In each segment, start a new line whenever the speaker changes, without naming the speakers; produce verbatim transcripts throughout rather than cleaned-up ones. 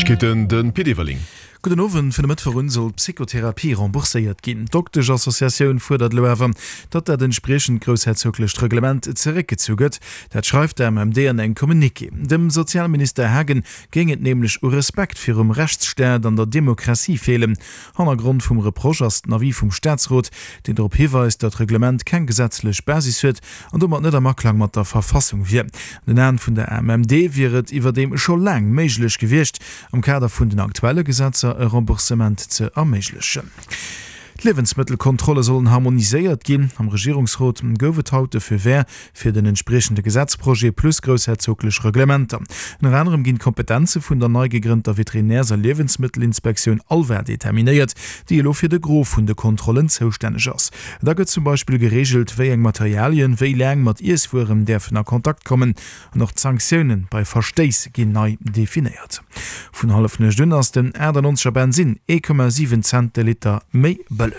Neiegkeeten, de Pit Everling.
Gudden Owend. Vun e Mëttwoch un soll d'Psychotherapie rembourséiert ginn. D'Doktesch-Associatioun fuerdert elo awer, datt dat entspriechend groussherzoglecht Reglement zeréckgezu gëtt. Dat schreift d'AMMD an engem Communiqué. Dem Sozialminister Haagen géing et nämlech u Respekt virum Rechtsstaat an der Demokratie feelen. Hannergrond vum Reproche ass den Avis vum Staatsrot, deen drop hiweist, datt d'Reglement keng gesetzlech Basis huet an domat net am Aklang mat der Verfassung wier. An den Aen vun der AMMD wier et iwwerdeem scho laang méiglech gewiescht, am Kader vun den aktuelle Gesetzer e Remboursement ze erméiglechen. D'Liewensmëttelkontrolle sollen harmoniséiert ginn. Am Regierungsrot gouf et haut de Feu vert fir den entspriechende Gesetzprojet plus groussherzoglech Reglementer. Ënner anerem ginn d'Kompetenze vun der nei gegrënnter Veterinärs a Liewensmëttelinspektioun ALVA determinéiert, déi elo fir de Gros vun de Kontrollen zoustänneg ass. Da gëtt zum Beispill gereegelt, wéi eng Materialien wéi laang mat Iesswueren däerfen a Kontakt kommen an och d'Sanktioune bei Verstéiss ginn nei definéiert. Vun Hallefnuecht un ass den achtannonzeger Bensinn ee Komma siwen Cent de Liter méi bëlleg.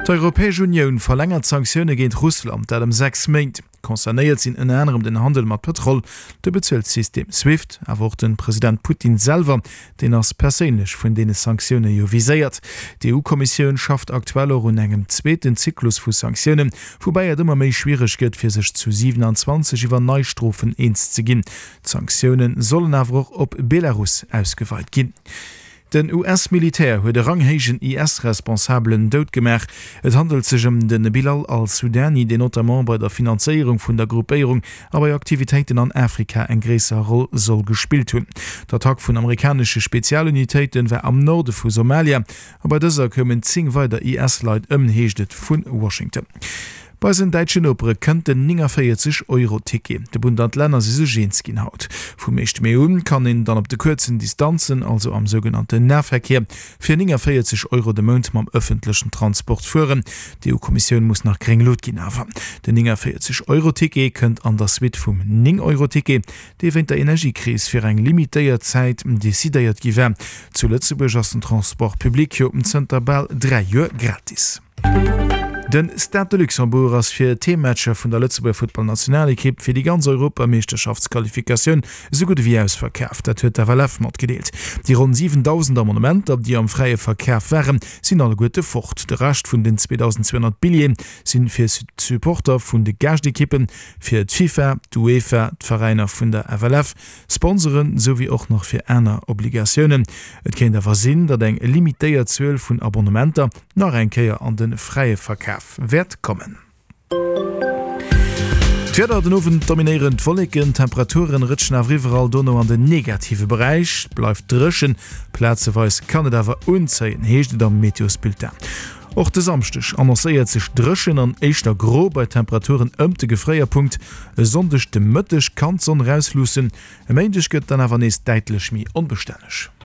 D'Europäesch Unioun verlängert d'Sanktioune géint Russland, dat ëm sechs Méint. Concernéiert sinn ënner anerem den Handel mat Pëtrol, de Bezuelsystem Swift, awer och de President Putin selwer, deen ass perséinlech vun deene Sanktioune jo viséiert. D'EU-Kommissioun schafft aktuell och un engem zweeten Zyklus vu Sanktiounen, woubäi et ëmmer méi schwiereg gëtt, fir sech zu siwenanzwanzeg iwwer nei Strofen eens ze ginn. D'Sanktioune sollen awer och op Belarus ausgeweit ginn. Den U S-Militär huet e ranghéijen I S-Responsabelen dout gemaach. Et handelt sech ëm de Bilal al-Sudani, deen notamment bei der Finanzéierung vun der Gruppéierung a bei Aktivitéiten an Afrika eng gréisser Roll soll gespillt hunn. D'Attack vun amerikanesche Spezialunitéite war am Norde vu Somalia a bei dëser koumen zéng weider I S-Leit ëm, heescht et vu Washington. Bei eisen däitschen Nopere kënnt den néngavéierzeg Euro Ticket. De Bund an d'Länner si sech eens ginn haut. Vum éischte Mee un kann een dann op de kuerzen Distanzen, also am sougenannten Nahverkehr, fir néngavéierzeg Euro de Mount mam ëffentlechen Transport fueren. D'E U-Kommissioun muss nach gréng Lut ginn awer. Den néngavéierzeg Euro Ticket kënnt an der Suite vum néng Euro Ticket, dee wéint der Energiekris fir eng limitéiert Zäit decidéiert gi war. Zu Lëtzebuerg ass den Transport public jo zënter bal dräi Joer gratis. Den Stade de Luxembourg ass fir d'Heemmatcher vun der Lëtzebuerger Futtballnationalekipp fir déi ganz Europameeschterschaftsqualifikatioun esou gutt ewéi ausverkaaft. Dat huet d'F L F matgedeelt. Déi ronn siwendausend Abonnementer, déi am fräie Verkaf waren, sinn alleguerte fort. De Rescht vun den zweedausendzweehonnert Billjeeë sinn fir d'Supporter vun de Gaascht-Ekippen, fir d'FIFA, d'UEFA, d'Veräiner vun der F L F, Sponsoren souwéi och nach fir aner Obligatiounen. Et kéint awer sinn, datt eng limitéiert Zuel vun Abonnementer nach eng Kéier an de fräie Verkaf wäert kommen. D'Wieder, Den Owend dominéieren d'Wolleken, d'Temperaturen rëtschen awer iwwerall dono an den negative Beräich. Et bleift dréchen, plazeweis kann et awer unzéien, heescht et am Meteosbulletin. Och de Samschdeg annoncéiert sech dréchen an éischter gro bei Temperaturen ëmt de Gefréierpunkt. E Sonndeg de Mëtteg kann d'Sonn erausluussen, e Méindeg gëtt dann awer nees däitlech méi onbestänneg.